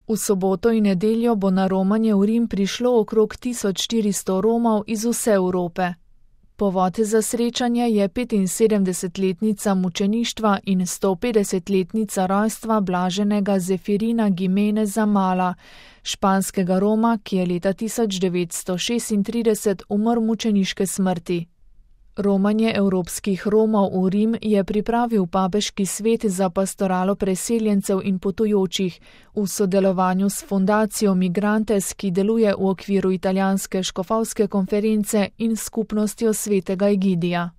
V soboto in nedeljo bo na romanje v Rim prišlo okrog 1400 Romov iz vse Evrope. Povod za srečanje je 75-letnica mučeništva in 150-letnica rojstva blaženega Zefirina Gimeneza Mala, španskega Roma, ki je leta 1936 umrl mučeniške smrti. Romanje evropskih Romov v Rim je pripravil papeški svet za pastoralo preseljencev in potujočih v sodelovanju s fundacijo Migrantes, ki deluje v okviru italijanske škofovske konference in skupnostjo svetega Egidija.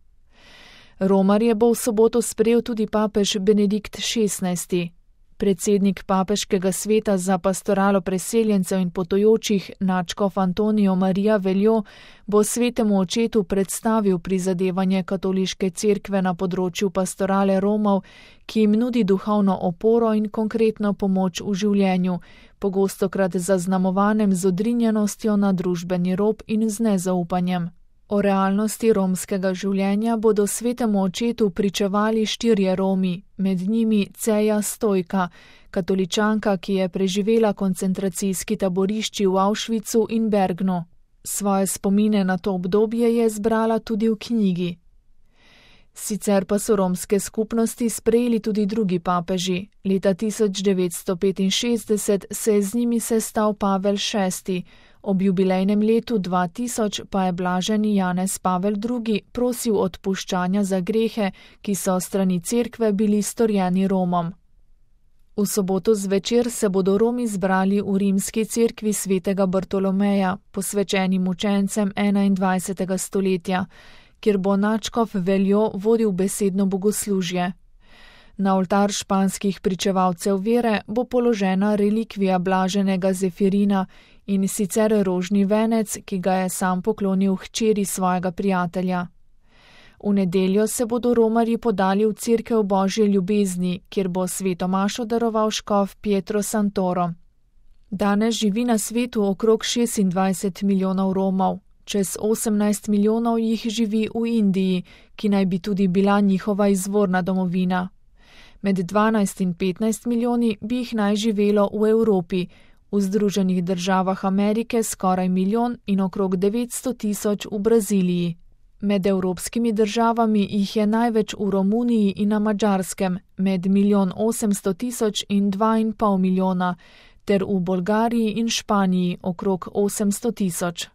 Romarje bo v soboto sprejel tudi papež Benedikt XVI. Predsednik papeškega sveta za pastoralo preseljencev in potujočih nadškof Antonijo Marija Veljo bo svetemu očetu predstavil prizadevanje katoliške cerkve na področju pastorale Romov, ki jim nudi duhovno oporo in konkretno pomoč v življenju, pogostokrat zaznamovanem z odrinjenostjo na družbeni rob in z nezaupanjem. O realnosti romskega življenja bodo svetemu očetu pričevali 4 Romi, med njimi Ceja Stojka, katoličanka, ki je preživela koncentracijski taborišči v Auschwitzu in Bergnu. Svoje spomine na to obdobje je zbrala tudi v knjigi. Sicer pa so romske skupnosti sprejeli tudi drugi papeži. Leta 1965 se je z njimi sestal Pavel VI, ob jubilejnem letu 2000 pa je blaženi Janez Pavel II prosil odpuščanja za grehe, ki so strani cerkve bili storjeni Romom. V soboto zvečer se bodo Romi zbrali v rimski cerkvi svetega Bartolomeja, posvečeni mučencem 21. stoletja, kjer bo nadškof Veljo vodil besedno bogoslužje. Na oltar španskih pričevalcev vere bo položena relikvija blaženega Zefirina, in sicer rožni venec, ki ga je sam poklonil hčeri svojega prijatelja. V nedeljo se bodo romarji podali v cerkev Božje ljubezni, kjer bo sveto mašo daroval škof Pietro Santoro. Danes živi na svetu okrog 26 milijonov Romov, čez 18 milijonov jih živi v Indiji, ki naj bi tudi bila njihova izvorna domovina. Med 12 in 15 milijoni bi jih naj živelo v Evropi, v Združenih državah Amerike skoraj milijon in okrog 900 tisoč v Braziliji. Med evropskimi državami jih je največ v Romuniji in na Madžarskem, med 1.800.000 in 2,5 milijona, ter v Bolgariji in Španiji okrog 800 tisoč.